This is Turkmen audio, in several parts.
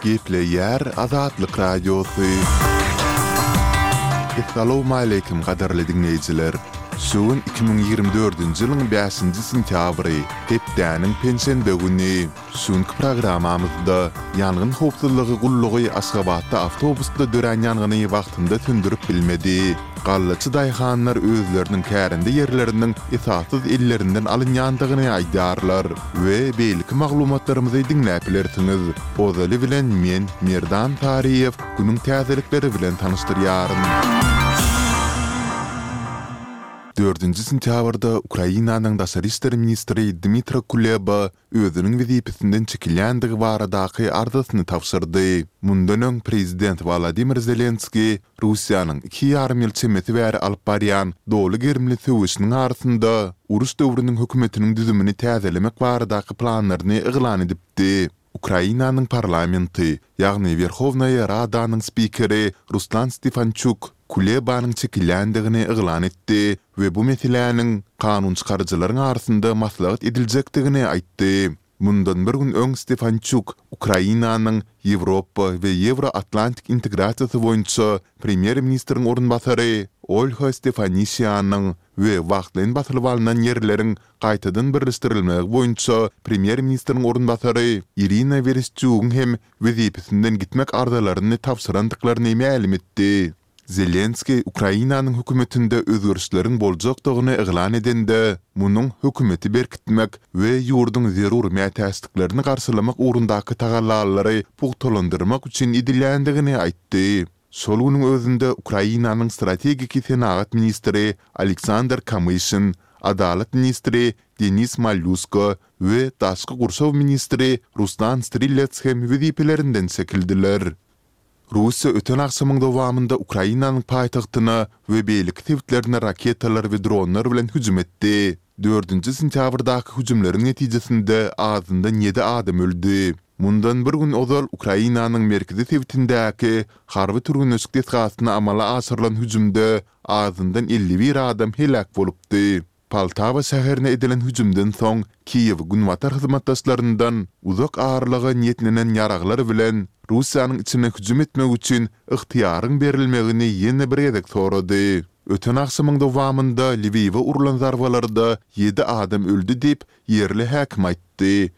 Gepleýär Azatlyk Radiosy. Essalawmaleýkim gadyrly diňleýjiler! Şu gün 2024-nji ýylyň bäşinji sentýabry, hepdäniň penşenbe güni. Şu günki programmamyzda Ýangyn howpsuzlygy gullugy Aşgabatda awtobusda dörän ýangyny wagtynda söndürip bilmedi. Gallaçy daýhanlar özleriniň kärende ýerleriniň esassyz ellerinden alynýandygyny aýdýarlar we beýleki maglumatlarymyzy diňläp bilersiňiz. Ozaly bilen men, Merdan Saryýew, günüň täzelikleri bilen tanyşdyrýaryn. Dördünji sentýabrda Ukrainanyň daşary işler ministri Dmytro Kuleba özüniň wezipesinden çekilýändigi baradaky arzasyny tabşyrdy. Mundan öň prezident Wolodymyr Zelenskiý Russiýanyň iki ýarym ýyl çemesi bäri alyp barýan doly gerimli söweşiniň arasynda uruş döwrüniň hökümetiniň düzümini täzelemek baradaky planlaryny yglan edipdi. Ukrainanyň parlamenti, ýagny Werhownaýa Radanyň spikeri Ruslan Stefançuk Kulebanyň çekilýändigini yglan etdi we bu meseläniň kanunçykaryjylaryň arasynda maslahat ediljekdigini aýtdy. Mundan bir gün öň Stefançuk Ukrainanyň Ýewropa we Ýewro-Atlantik integrasiýasy boýunça premýer-ministriň orunbasary Olha Stefanişianyň we wagtlaýyn basylyp alnan ýerleriň gaýtadan birleşdirilmegi boýunça premýer-ministriň orunbasary Irina Wereşçugyň hem wezipesinden gitmek arzalaryny tabşyrandyklaryny mälim etdi. Zelenskiý Ukrainanyň hökümetinde özgerişleriň boljakdygyny yglan edende, munuň hökümeti berkitmek we ýurduň zerur mätäçliklerini garşylamak ugrundaky tagallalary pugtalandyrmak üçin edilýändigini aýtdy. Şol günüň özünde Ukrainanyň strategiki senagat ministri Aleksandr Kamyşin, adalat ministri Denis Malýusko we daşky gurşaw ministri Ruslan Strilets hem wezipelerinden çekildiler. Russiýa öten agşamyň dowamynda Ukrainanyň paýtagtyna we beýleki sebitlerine raketalar we dronlar bilen hüjüm etdi. Dördünji sentýabrdaky hüjümleriň netijesinde azyndan ýedi adam öldi. Mundan bir gün ozal Ukrainanyň merkezi sebitindäki harby türgenleşik desgasyna amala aşyrylan hüjümde azyndan 51 adam heläk bolupdy. Poltawa şäherine edilen hüjümden soň, Kiýew günbatar hyzmatdaşlaryndan uzak aralyga niýetlenen ýaraglar bilen Russiýanyň içine hüjüm etmek üçin ygtyýaryň berilmegini ýene bir gezek sorady. Öten agşamyň dowamynda Lwiwe urlan zarbalarda ýedi adam öldi diýip, ýerli häkim aýtdy.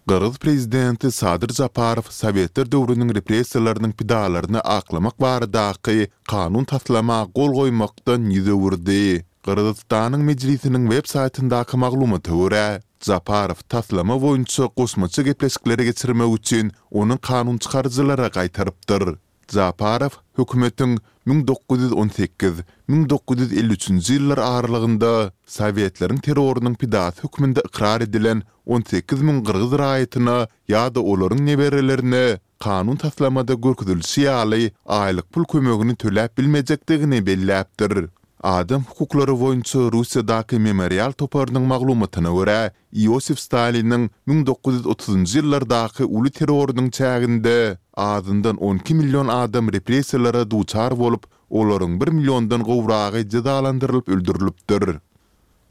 Gyrgyz prezidenti Sadyr Japarow sowetler döwrüniň repressiýalarynyň pidalaryny aklamak baradaky kanun taslama gol goýmakdan ýüz öwürdi. Gyrgyzystanyň Mejlisiniň web saýtyndaky maglumata görä, Japarow taslama boýunça goşmaça gepleşikleri geçirmek üçin ony kanunçykaryjylara gaýtarypdyr. Japarow hökümetiň 1918, 1953-nji ýyllar aralygynda sowetleriň terrorynyň pidasy hökmünde ykrar edilen 18 müň gyrgyz raýatyna ýa-da olaryň neberelerine kanun taslamada görkezilişi ýaly aýlyk pul kömegini töläp bilmejekdigini belläpdir. Adam hukuklary boýunça Russiýadaky Memorial toparynyň maglumatyna görä, Iosif Staliniň 1930-njy ýyllardaky uly terrorynyň çäginde azyndan 12 million adam repressiýalara duçar bolup, olaryň bir milliondan gowragy jezalandyrylyp öldürilipdir.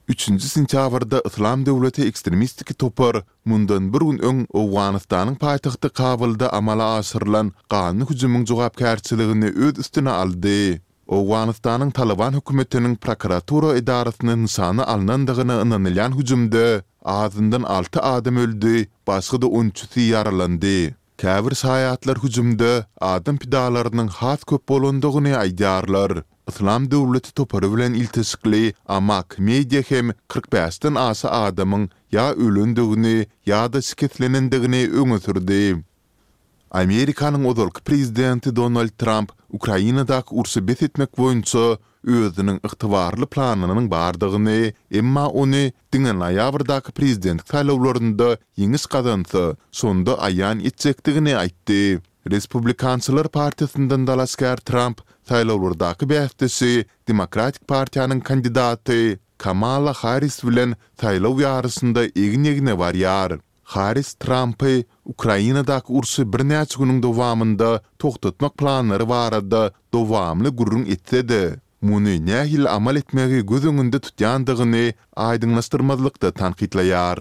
Üçünji sentýabrda Yslam döwleti ekstremistiki topar mundan bir gün öň Owganystanyň paýtagty Kabulda amala aşyrylan ganly hüjümiň jogapkärçiligini öz üstüne aldy. Owganystanyň Talyban hökümetiniň prokuratura edarasyna nyşana alnandygyna ynanylýan hüjümde azyndan alty adam öldi, başga-da on üçüsi ýaralandy. Käbir şaýatlar hüjümde adam pidalarynyň has köp bolandygyny aýdýarlar. Yslam döwleti topary bilen ilteşikli Amaq Media hem 45-den aşa adamyň ýa ölendigini ýa-da şikeslenendigini öňe sürdi. Amerikanyň ozalky prezidenti Donald Tramp Ukrainadaky urşy bes etmek boýunça özüniň ygtybarly planynyň bardygyny, emma ony diňe noýabrdaky prezidentlik saýlawlarynda ýeňiş gazansa, şonda aýan etjekdigini aýtdy. Respublikançylar partiýasyndan dalaşgär Tramp saýlawlardaky bäsdeşi Demokratik partiýanyň kandidaty Kamala Harris bilen saýlaw ýaryşynda egin-egne barýar. Harris Trampy Ukrainadaky urşy birnäçe günüň dowamynda togtatmak planlary barada dowamly gürrüň etse-de, muny nähili amal etmegi göz öňünde tutýandygyny aýdyňlaşdyrmazlykda tankytlaýar.